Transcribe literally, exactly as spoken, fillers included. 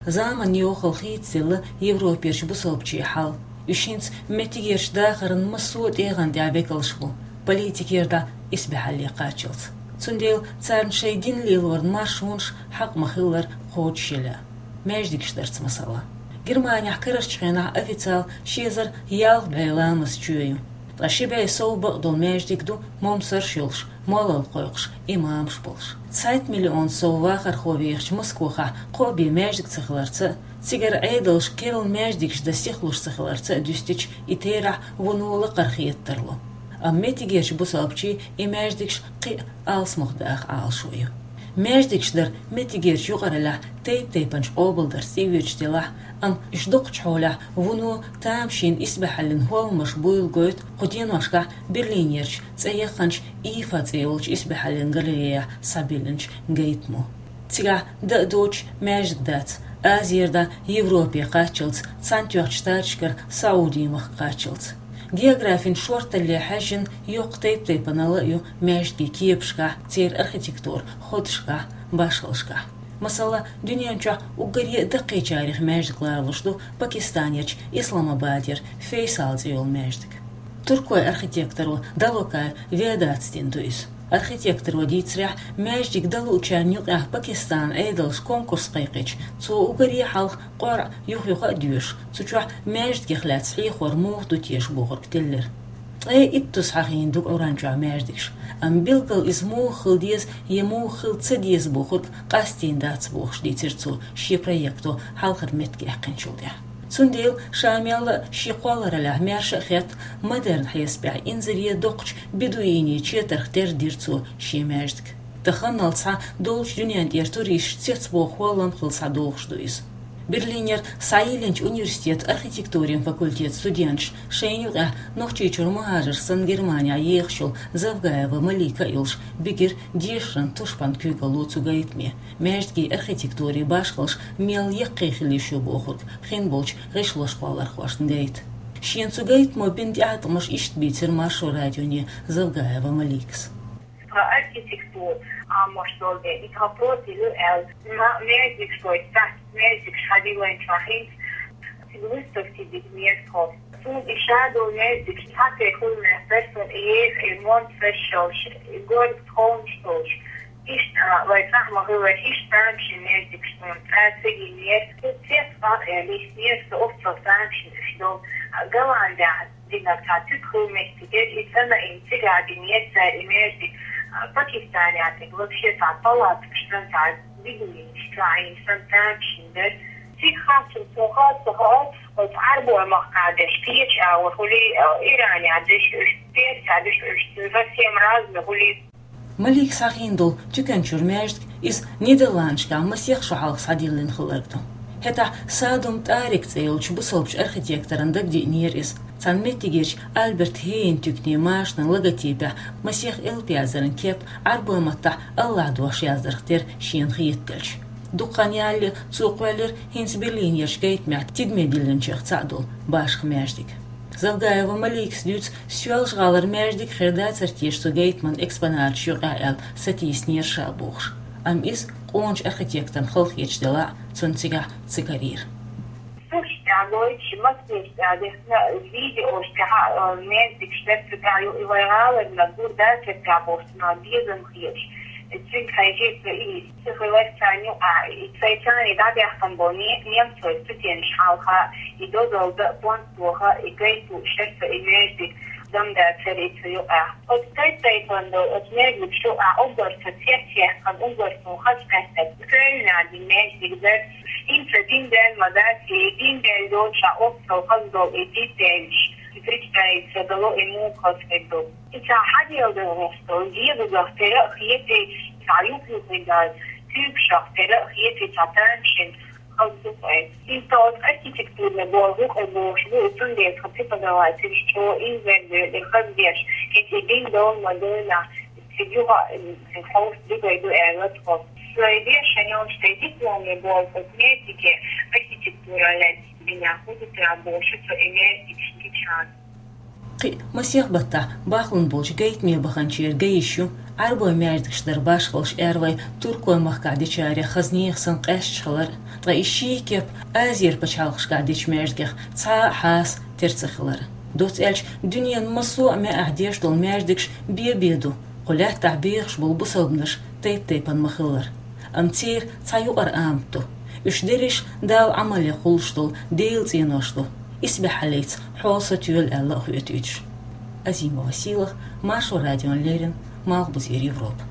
Заманан йохалла хийцаделла Европерчу бусалбачийн хьал. Уьш хӀинца меттигерчу дахаран массо а тӀегӀан тӀехь векалш бу, политикера дӀа исбаьхьалле кхаччалц. Цундела царна шайн дин лелоран маршонаш хьакъ ма-хиллара кхочушъяла. Маьждигаш дарца масала. Германехь карарчу хенахь официал ши эзар ялх бӀе ламаз чоь ю. Ткъа ши бӀе сов бакъдолу маьждиг ду, момсарш йолуш, молла кхойкхуш, имамаш болуш. Цхьайтта миллион сов вахархо вехачу Москвахь кхо бен маьждиг ца хиларца а, цигара Ӏедалша керла маьждигаш дан сихлуш ца хиларца а дуьстича, и терахь вуно лакхара хета тарло. Амма меттигерчу бусалбачийн и маьждигаш кхин а алсамох даха Ӏалашо ю. Маьждигаш дар меттигерчу юкъараллехь тайп-тайпанчу къобалдарца тӀеоьцуш делахь а, амма уьш доккхачу хьолехь вуно тамашийна исбаьхьаллин хӀолламаш буйла гойту кху деношкахь Берлинерчу цӀе яхханчу Ифа цӀе йолчу исбаьхьаллин галереяхь схьабиллинчу гайтамо. Цигахь дан а доцуш маьждиг дац, Азера дӀа Европе кхаччалц, Цхьаьнатоьхначу Штаташкара СаӀудийн махка кхаччалц. Географин шорталле хьаьжжина йоккха тайп-тайпанал а ю маьждиган кепашкахь, церан архитектуран ходашкахь, башхаллашкахь. Масала, дуьнен чохь уггаре а даккхийчарех маьждиг лоруш ду Пакистанерчу Исламабадера Фейсал цӀе йолу маьждиг. Туркойн архитекторо Далокай Ведатс дина ду иза. Архитекторо дийцарехь, маьждиг дан луучарна юкъахь Пакистанан Ӏедалша конкурс кхайкхича, цо уггаре а хьалха къоръа юх-юха а доьшуш, цу чохь маьждигех лаьцна хьехор муха ду теша бохург теллира. Ткъе иттазза хьахийна ду Ӏуьйранна чохь маьждигаш, амма билггал иза муха хила деза я муха хила ца деза бохург къастийна дац бохуш дийцира цо шен проекто хьалхара меттиг яьккхинчул тӀаьхьа. Цундела ша мелла а шен кхоллараллехь маьрша а хетта, модерн хьесапехь инзаре доккхачу бедуинийн четарх тера дира цо шен маьждиг. Таханалц схьа долчу дуьнен тӀера туристаш цецбоху хӀоллам хилла схьадогӀуш ду иза. Берлинера схьайиллинчу университетан архитектурин факультетан студенташ, шайна юкъахь Нохчийчуьра мухӀажар санна Германехь ехаш йолу Завгаева Малика а йолуш, бигира дешаран тушбан куьйгалло цу гайтаме, маьждиган архитектурин башхаллаш мел яккхий хила йиш ю бохург хин болчу гӀишлошкхоллархошна гайта. Шена цу гайтамо бина тӀеӀаткъамаш иштта бийцира Маршо радионе Завгаева Маликас. Про архитектуру, а, может, долу дела, и про профиль, э, ма-, маьждигаш, то есть, цхьацца маьждигаш хьадиллинчохь хӀинца цига выставки дитинера тхо. Цунна и ша долу маьждигаш цхьацца хуьлу, персон, и еха, и монт фешшалш, и горга тховнаш долуш. Иштта, а, вай цхьаъ ма-хиллара, иштта тамашийна маьждигаш суна цкъа ца гинера. Цу цец, а, э, лиснера со оццул тамашийна уьш долу, а, Голландехь. Динарца цуьк хӀуманаш тӀе, и санна, и цигахь динера цара и маьждиг, а, Пакистанехь тӀе вообще цхьа палаткаш санна, цхьа дигнаш, цхьа и санна тамашийна дара. Цига хаттар цо хатта хаьа, оцу Ӏарбойн махкахь дерш кхечу агӀор хуьлий, а, Иранехь дерш уьш, Персехь дерш уьш, совсем разный хуьлий. Маликас хьахийна долу туьканчуьра маьждиг, иза Нидерландашкахь масех шо хьалха схьадиллина хилларг ду. ХӀетахь Садум ТӀарик цӀе йолчу бусалбачу архитекторна дагадеънера иза, цхьана меттигерчу Альберт Хейн туьканийн машанан логотипехь масех элп яздаран кеп, Ӏарбойн маттахь АллахӀ дош яздарх тера шена хетаделча. Дукха хан ялале цо кхоьллира хӀинца Берлинерчу гайтамехь тидаме диллинчех цхьаъ долу башха маьждиг. Завгаева Маликас дуьйцу, Соьлжа-ГӀалара маьждиг хир дацара теша цу гайтаман экспонаташ юкъахь аьлла сатийсинера ша бохуш. Амма иза къоначу архитекторна халахеташ делахь а, цунна цигахь ца карийра. Сурташ тӀехь гойтуш, массераш тӀехь дехна видеош тӀехь, а, маьждигаш дара цу тӀехь ю, и вай гӀаларна гур дацара тӀехь бохуш, цунах безам хеташ. Цуьнга хьаьжира со и, ца хилар царна юкъахь, и цай царна дӀабаьхкина болу не-, немцойн студенташ хьалха, и дозалла дан а, понт тоха а, и гайта лууш яра со и маьждиг, дам дацара и цу юкъахь. Оцу тайп-тайпана долу оцу маьждигаш юкъахь уггар со цец яьккхина, уггар суна хаза кхетта Кёльнехь дина маьждиг дара. ХӀинца дин даьлла ма дац, и дин даьлла доцуш оццул хаза долу и дин даьллаш, и представить ца дало и муха хаза хир ду. И цхьа хьаделла долу гӀоьрталла, дегӀазах тера а хетий, цхьа юх-юххе дац, куьйгашах тера а хетий, цхьа тамашийна хаза ду-кх вайн. Иза тхо оцу архитектурный болу хӀума бохуш бу, и цундела тхан преподавательш чӀогӀа инзаре доьлу и хаза деш, кхин и дин довла ма девлла, цига юха а, м, хьовса дигай ду аьлла тхо. Сайн дешан йолуш тхайн дипломный болу оцу маьждиге архитектураллен динехь хӀун ду тера бохуш со и маьждигаш гича. Кхы а масех баттахь бахлун болчу гайтаме баханчеран гай йиш ю Ӏарбойн маьждигаш дар башхаллаш аьррой туркойн махкахь дечарех хаза нехан санна къаьсташ хилар, ткъа и ший кеп Азера пачхьалкхашкахь дечу маьждигех цхьа а хьаса тера ца хилар. Доцца аьлча, дуьненан массо а маьӀехь деш долу маьждигаш бен-бен ду, кху лаьттахь бехаш болу бусалбанаш тайп-тайпана ма-хиллара. Амма церан цхьа юкъара амат ду. Уьш дерриш Дала Ӏамале кхуллуш долу Делан цӀенош ду. Исбаьхьаллица хьо сатоьла аьлла а хоьтуьйтуш. Азима Василах, Маршо радиона леррина, Малхбузера Европа.